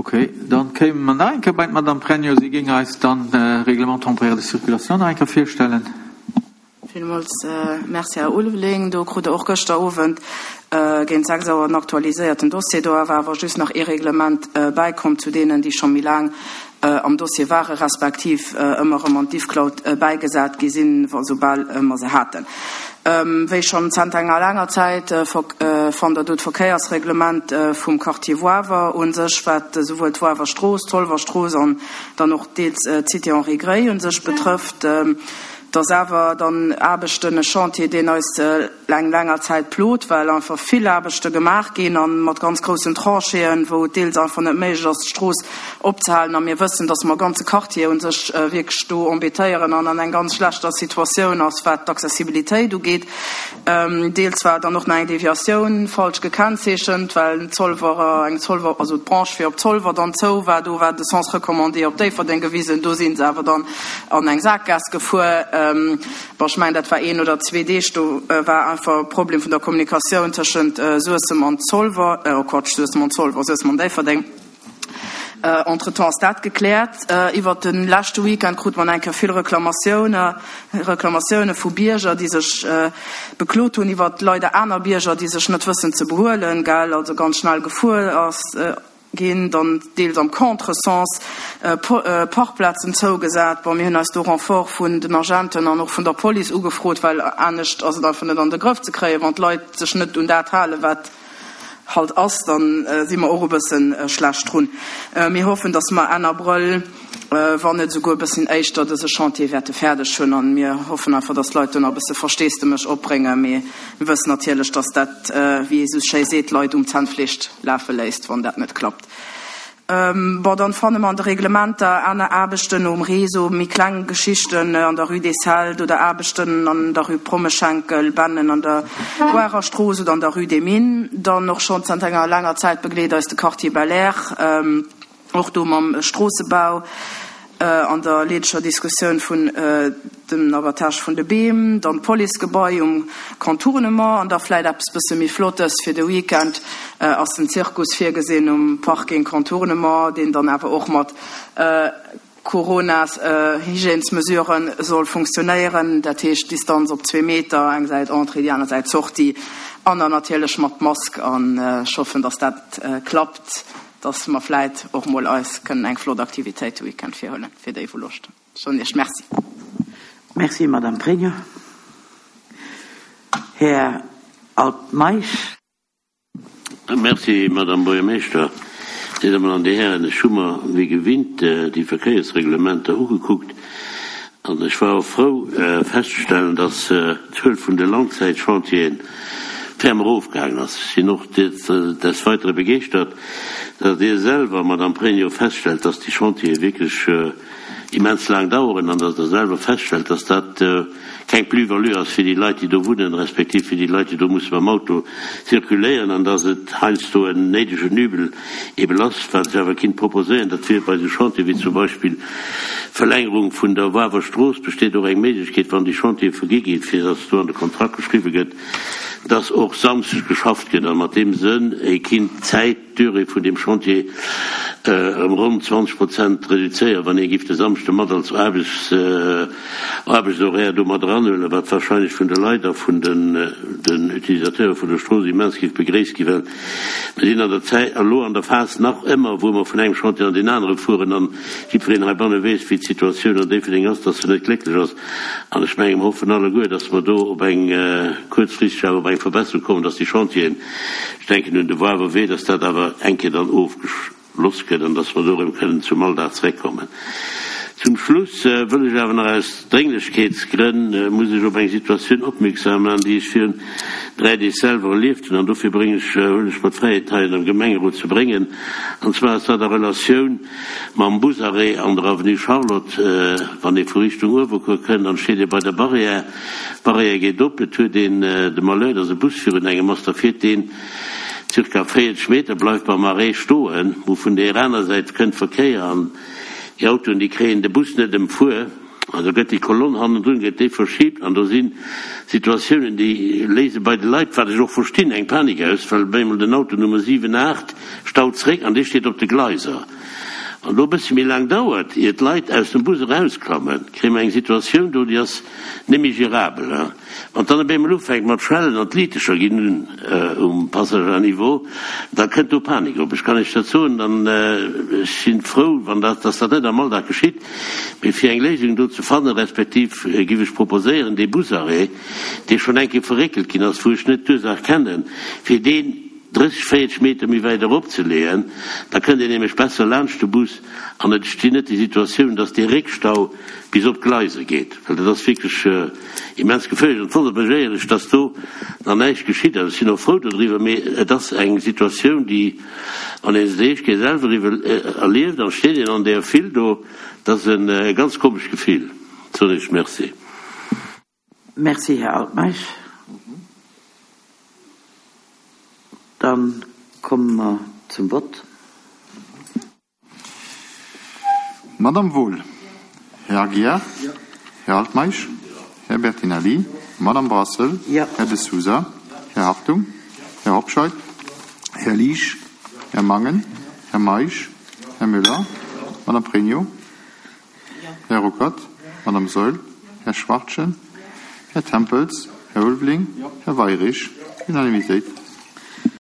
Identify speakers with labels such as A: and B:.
A: Ok, dann kéime mer nach eng Kéier bei d'Madame Pregno. Si géing eis dann de Règlement temporaire de circulation nach eng Kéier virstellen.
B: Villmools Merci, Här Ulveling. Do krut Der och gëschter Owend géint 6 Auer en aktualiséierten Dossier. Do war awer just nach ee Reglement bäikomm zu deenen, déi scho méi laang am Dossier ware respektiv ëmmer erëm an d'Diffcloud bäigesat gi sinn, soubal mer se haten. Wéi schonn zenter enger laanger Zäit fannt Der do d'Verkéiersreglement vum Quartier Woawer u sech, wat esouwuel d'Woawer Strooss, d'Zolwer Strooss an dann och deels d'Cité Henri Gray u sech betrëfft. Et ass awer dann Aarbechten, e Chantier, deen eis eng länger Zäit plot, well einfach vill Aarbechte gemaach ginn a mat ganz groussen Tranchéen, wou et deels einfach net méiglech ass, d'Strooss opzehalen. A mir wëssen, dass mer e ganze Quartier u sech wierklech do embêtéieren an an eng ganz schlechter Situatioun ass, wat d'Accessibilitéit ugeet. Deels war dann och nach eng Deviatioun falsch gekennzeechent, well Zolwer, eng Zolwer, also d'Branche fir op Zolwer dann zou war. Do war de Sens recommandé op Déifferdeng gewisen, do si se awer dann an eng Sakgaass gefuer. Bon, ech mengen, dat war een oder zwee Deeg, do war einfach e Problem vun der Kommunikatioun tëschent Suessem an Zolwer, oh Quatsch, Suessem an Zolwer, Suessem an Déifferdeng. Entretemps ass dat gekläert. Iwwert de leschte Weekend krute mer eng Kéier vill Reklamatioune, Reklamatioune vu Bierger, déi sech beklot hunn iwwert leider aner Bierger, déi sech net wëssen ze behuelen, gell, also ganz schnell gefuer ass ginn, dann deels am Contresens, Parkplazen zougesat. Bon, mir hunn eis do Renfort vun den Agenten an och vun der Police ugefrot, well anescht ass et einfach net an de Grëff ze kréien, wann d'Leit sech net un dat halen, wat halt ass, dann si mer och e bëssen schlecht drun. Mir hoffen, dass mer Enn Abrëll, wann net esouguer e bësschen éischter, dëse Chantier wäerte fäerdeg hunn. A mir hoffen einfach, dass d'Leit do nach e bësse Versteesdemech opbréngen. Mee mir wëssen natierlech, dass dat, wéi ee sou schéi seet, d'Leit um Zännfleesch lafe léisst, wann dat net klappt. Bon, dann fanne mer an de Reglementer aner Aarbechten um Réseau, méi kleng Geschichten an der Rue des Celtes oder Aarbechten an der Rue Prommeschenkel, Bennen an der Goarer Strooss oder an der Rue des Mines. Dann och schonn zanter enger laanger Zäit begleet eis de Quartier Belair, och do mam Stroossebau an der leedeger Diskussioun vun dem Abattage vun de Beem, dann d'Policegebai um Contournement an da vläit eppes bësse méi Flottes fir de Weekend ass den Zirkus virgesinn um Parking Contournement, deen dann awer och mat Coronas-Hygiènesmesuren soll funktionéieren, dat heescht Distanz op zwee Meter, eng Säit Entrée, déi aner Säit Sortie an dann natierlech mat Mask an ech hoffen, dass dat klappt. Dass mer vläit och mol eis kënnen eng flott Aktivitéit de Weekend virhuelen, fir déi wou Loscht hunn. Ech soen Iech Merci.
C: Merci, Madame Pregno. Här Altmeisch.
D: Merci, Madame Buergermeeschter. Dir Dammen an Dir Hären, ech hu mer wéi gewinnt déi Verkéiersreglementer ugekuckt an ech war och frou festzestellen, dass d'Zuel vun de Langzäitchantieren ferm erofgaangen ass. Ech sinn och des Weitere begeeschtert, datt Dir selwer, Madame Pregno, feststellt, datt déi Chantiere wierklech immens laang daueren an datt Der selwer feststellt, datt dat keng Plus-value ass fir déi Leit, déi do wunnen, respektiv fir déi Leit, déi do musse mam Auto zirkuléieren, an datt et heiansdo en néidegen Übel eeben ass. Wat ech awer kinnt proposéieren, dat wier bei esou Chantiere wéi zum Beispill d'Verlängerung vun der Wawer Strooss, besteet och eng Méiglechkeet, wann déi Chantiere vergi ginn, fir datt do an de Kontrakt geschriwwe gëtt, datt och samschdes geschafft gëtt an mat deem Sënn ee kinnt d'Zäit, d'Durée vun deem Chantier ëm ronn 20 Prozent reduzéieren, wann ee giff de Samschde mat als Aarbechts, Aarbechtshoraire do mat eranhuelen, wat wahrscheinlech vun de Leit a vun den, den Utilisateure vun der Strooss immens giff begréisst ginn, well mir sinn an der Zäit, elo an der Phas nach ëmmer, wou mer vun engem Chantier an deen anere fueren an jiddwereen heibanne weess, wéi d'Situatioun an Déifferdeng ass, dass se net glécklech ass. An ech menge mer hoffen alleguer, dass mer do op eng kuerzfristeg awer op eng Verbesserung kommen, dass déi Chantieren, ech denken un de Woarwer Wee, dass dat awer eng Kéier dann ofgeschloss gëtt an dass mer do erëm kënnen zum Alldag zeréckkommen. Zum Schluss wëll ech awer nach aus Drénglechkeetsgrënn, muss ech op eng Situatioun opmierksam maachen, déi ech virun 3 Deeg selwer erlieft hunn an dofir bréngen ech, huelen ech mer d'Fräiheet hei an dem Gemengerot ze bréngen. An zwar ass dat a Relatioun mam Busarrêt an der Avenue Charlotte. Wann ee vu Richtung Uewerkuer kënnt, dann steet ee bei der Barrière. D'Barrière geet op, et huet een de Malheur, dass e Bus virun engem ass, da fiert deen zirka 40 Meter, bleift beim Arrêt stoen, wou vun deer aner Säit kënnt Verkéier an déi Autoen, déi kréien de Bus net ëmfuer. An da gëtt déi Kolonn hannendrun, gëtt déi verschibt an do si Situatiounen, déi léise bei de Leit, wat ech och verstinn, eng Panik aus, well op eemol den Auto Nummer 7, 8 staut zréck an dee steet op de Gleiser. An do e bëssche méi laang dauert, ier d'Leit aus dem Bus erausklammen, kréie mer eng Situatioun do, déi ass net méi gérabel. Wann et dann op eemol ufänkt mat schellen an d'Liitecher ginn un um Passage à niveau, da kënnt do Panik op. Ech kann Iech dat soen an ech si frou, wann dat, dass dat net am Alldag geschitt. Mee fir eng Léisung do ze fannen, respektiv géif ech proposéieren, dee Busarrêt, dee schonn eng Kéier verréckelt ginn ass, wou ech net d'Ursaach kennen, fir deen 30, 40 Meter méi wäit erop ze leeën, da kënnt een nämlech besser laanscht de Bus an et entsteet net déi Situatioun, dass dee Réckstau bis op d'Gleiser geet, well dat ass wierklech immens geféierlech. An et wonnert mech éierlech, dass do nach näischt geschitt ass. Ech sinn och frou dodriwwer, mee et ass eng Situatioun, déi, wann ee se déi éischt Kéier selwer iwwer erlieft an et steet een an där File do, dat ass e ganz komescht Gefill, soen ech. Merci.
C: Merci, Här Altmeisch. Dann komme mer zum Vott.
E: Madame Wohl, Här Aguiar, Här Altmeisch, Här Bertinelli, Madame Brassel, Här De Sousa, Här Hartung, Här Hobscheit, Här Liesch, Här Mangen, Här Meisch, Här Müller, Madame Pregno, Här Ruckert, Madame Saeul, Här Schwachtgen, Här Tempels, Här Ulveling, Här Weirich. Unanimitéit.